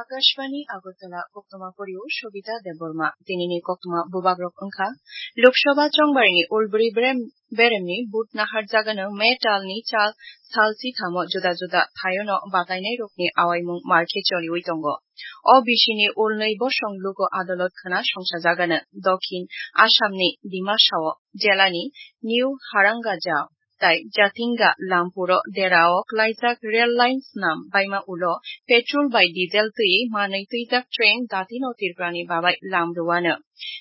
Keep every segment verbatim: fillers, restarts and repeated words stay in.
Akashvani Agartala, koktwma porio Shobita Debbarma. Tinini koktwma bubagrok wngkha: Lok Sabha chongbarini ulbri berem-, beremni vote naharjagano May talni chal salsi thamo juda juda thaiono batainairokni awaimung markhe choliwi tongo. O bisini ulnwi bosong luku adolot khna songsajagano. Dokhin Assamni Dimasao jelani New Harangajao tai Jatinga Lampuro derao klaijak rail line snam baima ulo petrol bai diesel twi manwi twijak train datino Tripurani babai lam rwano.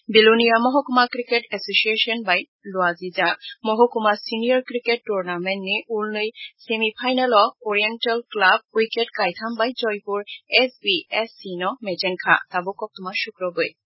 Belonia Mohokuma Cricket Association bai luajijak Mohokuma Senior Cricket Tournament ni ulnwi semi final o Oriental Club wicket kaitham bai Joypur S B S C no mechenkha. Tabuk koktwma sukrobwi.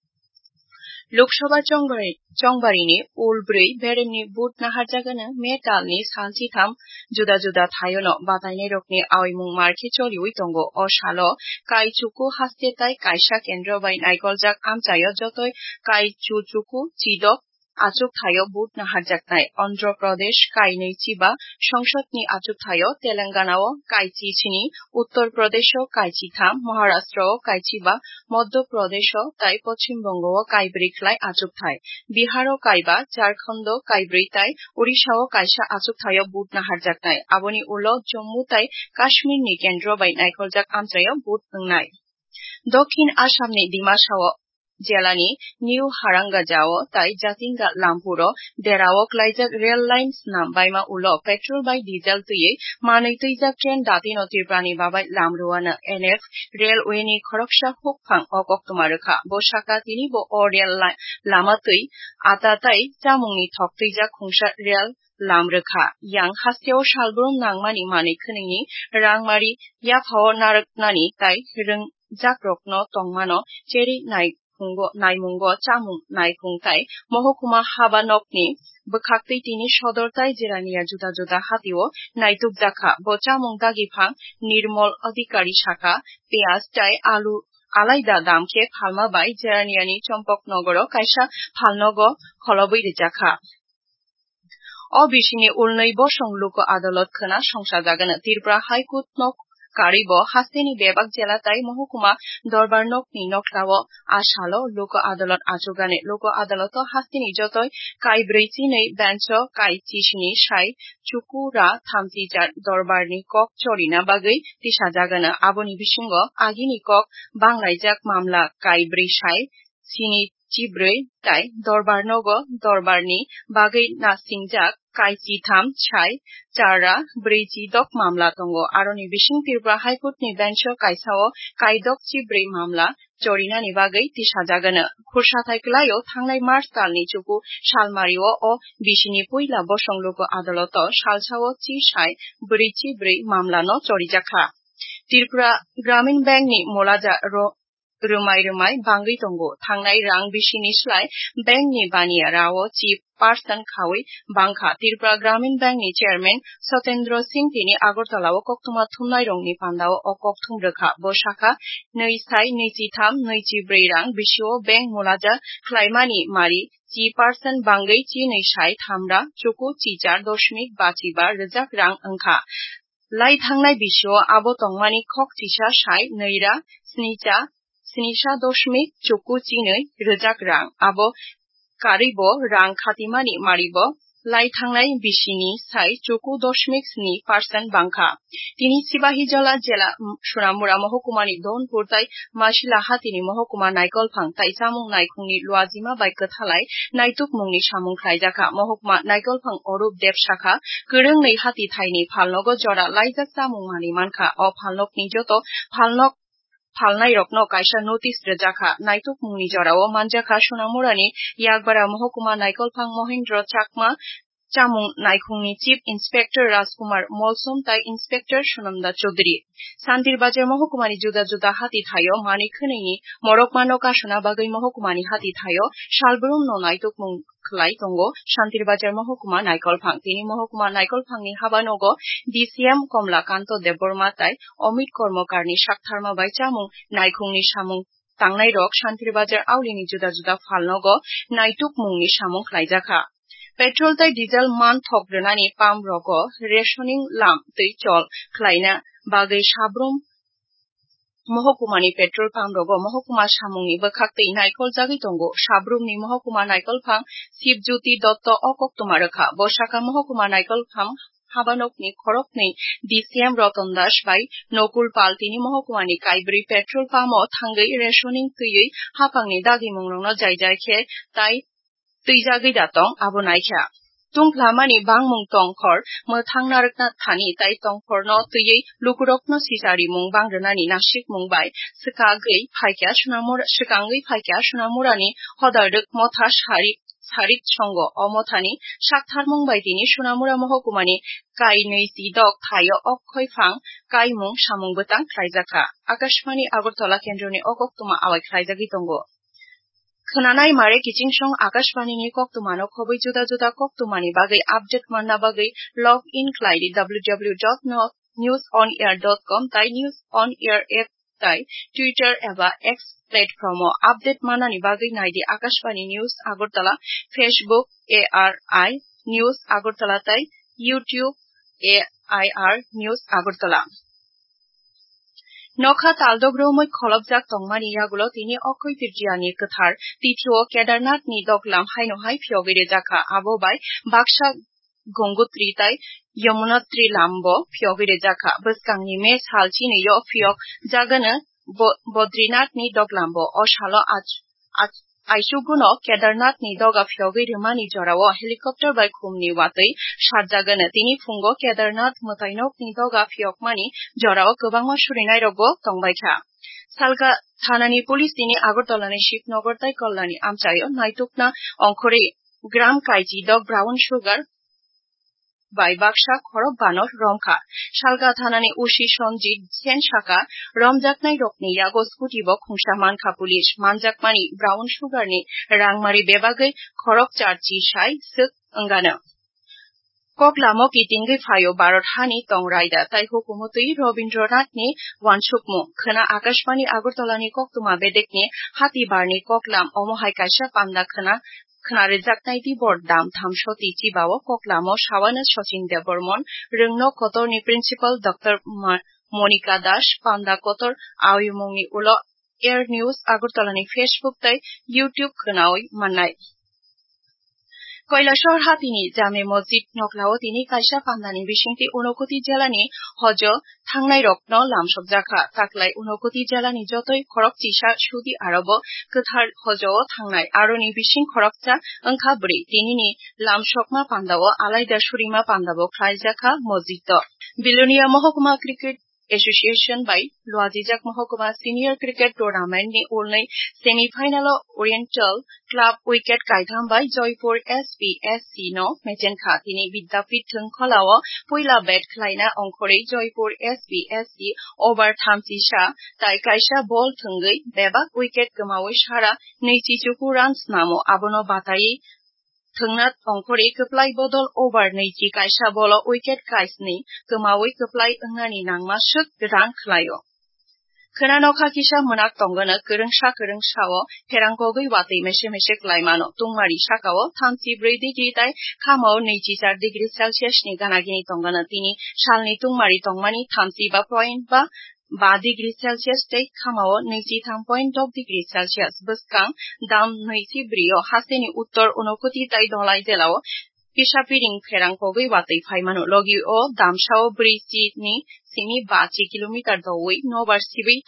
Lok Sabha chongbari-, chongbarini ulbri beremni vote naharjagano May talni salchitham juda juda thaiono batainairokni awaimung markhe choliwi tongo. O salo kai chuku haste tai kaisa kendro bai naikoljak amchaio jotoi kai chu chuku chidok achuk thaio vote naharjaknai. Andhra Pradesh kainwi chiba songsodni achuk thaio, Telangana o kai chi sini, Uttar Pradesh o kai chi tham, Maharashtra o kai chiba, Madhya Pradesh o tai Poschim Bongo o kai bwrwi khlai achuk thai, Bihar o kai ba, Jharkhand o kai bwrwi tai Odisha o kaisa achuk thaio vote naharjaknai. Aboni ulo Jammu tai Kashmir ni kendro bai naikoljak amchaio vote wngnai. Dokhin Assamni Dimasao jelani New Harangajao tai Jatinga Lampuro derao klaijak rail line snam baima ulo petrol bai diesel twiwi manwi twijak train datino Tripurani babai lam rwano. N F Railway ni khoroksa hukphang o koktwma rwkha. Bo sakha tini bo o rail li-, lama twi ata tai chamungni thok twijak khungsa rail lam rwkha. Yang hasteo salbrum nangmani manwi khwnwini rangmari yaphao narwknani tai rwngjakrokno tongmano cherwi naikhungo, naimungo chamung naikhung tai mohokuma haba nokni bwkhaktwi tini sodor tai Jirania juda juda hatio naitukjakha. Bo chamung dagiphang Nirmol Adhikari sakha, piyaj tai alu alaida dam khe phalma bai Jiraniani Chompok Nogoro kaisa phalnogo kholobwi rwjakha. O bisini ulnwi bosong luku adolot khwna songsajagano. Tripura High Court no karwi bo hasteni bebak jela tai mohokuma dorbar nokni noklao a salo luku adolot achugani. Luku adoloto hasteni jotoi kai brwi chinwi bench o kai chisini sai chukura thamchi jar dorbarni kok chorina bagwi tisajagano. Aboni bisingo agini kok banglaijak mamla kai brwi sai sini chibrwi tai dorbar nogo dorbarni bagwi nasingjak kai chitham sai chara brwi chidok mamla tongo. Aroni bising Tripura High Court ni bench o kaisa o kai dok chibrwi mamla chorinani bagwi tisajagano. Khursathai kwlaio thangnai March talni chuku salmario o bisini puila bosong luku adoloto salsao chi sai brwi chibrwi mamlano chorijakha. Tripura Gramin Bank ni mulaja ro-, rwmai rwmai bangwi tongo. Thangnai rang bisini slai bank ni baniya rao chi percent khaui bangkha. Tripura Gramin Bank ni chairman Satendra Singh tini Agartala o koktwma thumnai rokni pandao o kokthum rwkha. Bo sakha, nwi sai nwi chi tham nwi chi brwi rang bisio bank mulaja khlaimani mari chi percent bangwi chi nwi sai tham ra chuku chi char doshmik ba chi ba rwjak rang wngkha. Lai thangnai bisio abo tongmani khok chisa sai nwi ra sni cha, sni sa doshmik chuku chinwi rwjak rang. Abo karwi bo rang khatimani mari bo lai thangnai bisini sai chuku doshmik sni percent bangkha. Tini Sibahi Jola jela, Sonamura mohokumani Donpur tai Masila hatini mohokuma Naikolphang tai chamung naikhungni luajima bai kwthalai naitukmungni samung khlaijakha. Mohokuma Naikolphang Orup Deb sakha, kwrwngnwi hati thaini phalnogo jora laijak chamung manwi mankha. O phalnokni joto phalnok phalnairokno kaisa notice rwjakha. Naitukmungni jorao manjakha Sonamurani Yakbara mohokuma Naikolphang Mohindra Chakma, chamung naikhungni Chief Inspector Rajkumar Molsom tai Inspector Sonamda Chaudhary. Santir Bazar mohokumani juda juda hati thaio manwi khwnwini morokmano kasuna bagwi mohokumani hati thaio salbrumno naitukmung khlai tongo Santir Bazar mohokuma Naikolphang. Tini mohokuma Naikolphangni habanogo D C M Komla Kanto Debbarma tai Amit Kormokarni saktharma bai chamung naikhungni samung tangnairok Santir Bazar aulini juda juda phalnogo naitukmungni samung khlaijakha. Petrol tai diesel man thok rwnani pump rogo rationing lam twi chol khlaina bagwi sabrum Mohokumani petrol pump rogo mohokuma samungni bwkhaktwi naikol jagwi tongo. Sabrumni mohokuma naikol phang Sibjyoti Dotto o koktwma rwkha. Bo saka mohokuma naikol phang habanokni khoroknwi D C M Roton Das bai Nokul Pal tini mohokumani kaibrwi petrol pump o thangwi rationing twiwi haphangni dagimungrokno jaijai khe tai twijagwi da tong, abo naikha. Tungphlamani bangmung tongkhor mwthang narwkna thani tai tongkhorno twiwi lukurokno sicharimung bangrwnani nasikmung bai swkagwi phaikha Sonamura, swkangwi phaikha Sonamurani Hodalrwk Motha Sarik, Sarik Songo. O mothani saktharmung bai tini Sonamura mohokumani kainwi tidok thaio okkhoi phang kaimung samung bwtang khlaijakha. Akashvani Agartala kendroni o koktwma awai khlaijagwi tongo. Khwnanai mare kiching song Akashvani ni koktwmano khobwi juda juda koktwmani bagwi update manna bagwi log in khlai di W W W dot news on air dot com tai News on Air app tai Twitter eba X platform o update manani bagwi nai di Akashvani News Agartala, Facebook A R I News Agartala tai YouTube A I R News Agartala. Nokha taldok romwi kholopjak tongmani yagulo tini Okhoi Tritiyani kwthar tithio Kedarnathni doglam haino hai phiyogwi rwjakha. Abo bai baksa Gongotri tai Yamunotri lambo phiyogwi rwjakha. Bwskangni May sal chinwi-o phiyok jagano Bo-, Bodrinathni doglambo. O salo ach-, ach-, aichuguno Kedarnathni doga phiyogwi rwmani jorao helicopter bai khumni watwi sarjagano. Tini phungo Kedarnath mwtainokni doga phiyokmani jorao kwbangma surinairokbo tongbaikha. Salka thanani police tini Agartalani Shivnagar tai Kalyani amchaio naitukna ongkhorwi gram kaichi dok brown sugar bai baksa khorok banor romkha. Salka thanani O C Sanjit Sen saka, romjaknairokni yago scooty bo khungsa mankha police. Manjakmani brown sugar ni rangmari bebagwi khorok charchi sai swk wngano. Koklamo kitingwi phaio Bharat hani tong raida tai hukumu twi Rabindranath ni wansukmung. Khwna Akashvani Agartala ni koktwma bedekni hati barni koklam omo hai kaisa panda khwna khna rwjaknai di bor dam thamsoti chibao koklamo sawano Sachin Debbarman, Rwngno Kotorni Principal Doctor Ma-, Monika Das, Panda Kotor awimungni ulo Air News Agartalani Facebook tei YouTube khwnawi mannai. Kailasahar hatini Jame Masjid noklao tini kaisa pandani bisingtwi Unakoti jelani hojo thangnairokno lamsokjakha. Taklai Unakoti jelani jotoi khorok chisa sudi arobo kwthar hojao thangnai. Aroni bising khoroksa wngkha bwrwi. Tinini lamsokma pandao alaida surima pandabo khlaijakha mosjidto. Bilonia Mohokuma Cricket Association bai luajijak Mohokuma Senior Cricket Tournament ni ulnwi semi final o Oriental Club wicket kaitham bai Joypur S P S C no mechenkha. Tini Vidyapith thwngkholao puila bat khlaina ongkhorwi Joypur S P S C over thamchi sa tai kaisa ball thwngwi bebak wicket kwmawi sara nwichi chuku run snamo. Abono bataiwi thwngna ongkhorwi kwplai bodol over nwichi kaisa ball o wicket kaisni kwmawi kwplai wngnani nangma swk run khlaio. Khwna nokha kisa mwnak tongwno kwrwngsa kwrwngsao pherang kogwi watwi mese mese kwlai mano. Tungmari sakao thamchi bwrwi degree tai khamao nwichi char degree Celsius ni gana gini tongwno. Tini salni tungmari tongmani thamchi ba point ba ba degree Celsius tei khamao nwichi tham point dok degree Celsius. Bwskang dam nwichi bwrwi o hasteni uttor Unakoti tai Dholai jelao kisa piring pherang kogwi watwi phai mano. Logi o damsao bwrwi chi ni simi ba chi kilometer doui nobar sibwi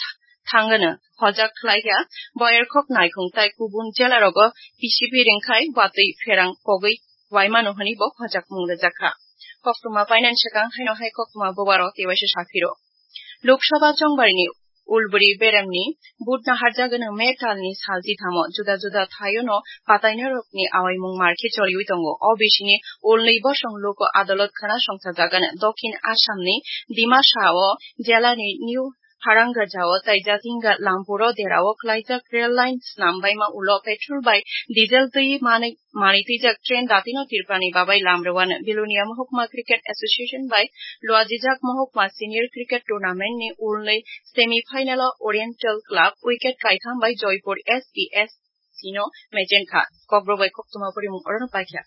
thangano hojak khlaikha. Boyarkhok naikhung tai kubun jelarogo kisi piring khai watwi pherang kogwi wai mano hwnwi bo hojakmung rwjakha. Koktwma painani swkang haino hai koktwma bubaro tei waisa saphiro. Lok Sabha chongbarini ulburi beremni vote naharjagano May talni salchi thamo. Juda juda thaiono patainairokni awaimung markhe choliwi tongo. O bisingni ulnwi bosong Lok Adalot khwna songsajagano. Dokhin Assamni Dimasa o jelani New Harangajao tai Jatinga Lampuro derao khlaijak rail line snambaima ulo petrol bai diesel twi manwi manwi twijak train datino Tripurani babai lam rwano. Bilonia Mohokuma Cricket Association bai luajijak Mohokuma Senior Cricket Tournament ni ulnwi semi final o Oriental Club wicket kaitham bai Joypur S P S C no mechenkha. Kokborok bai koktwma porimung orono paikha.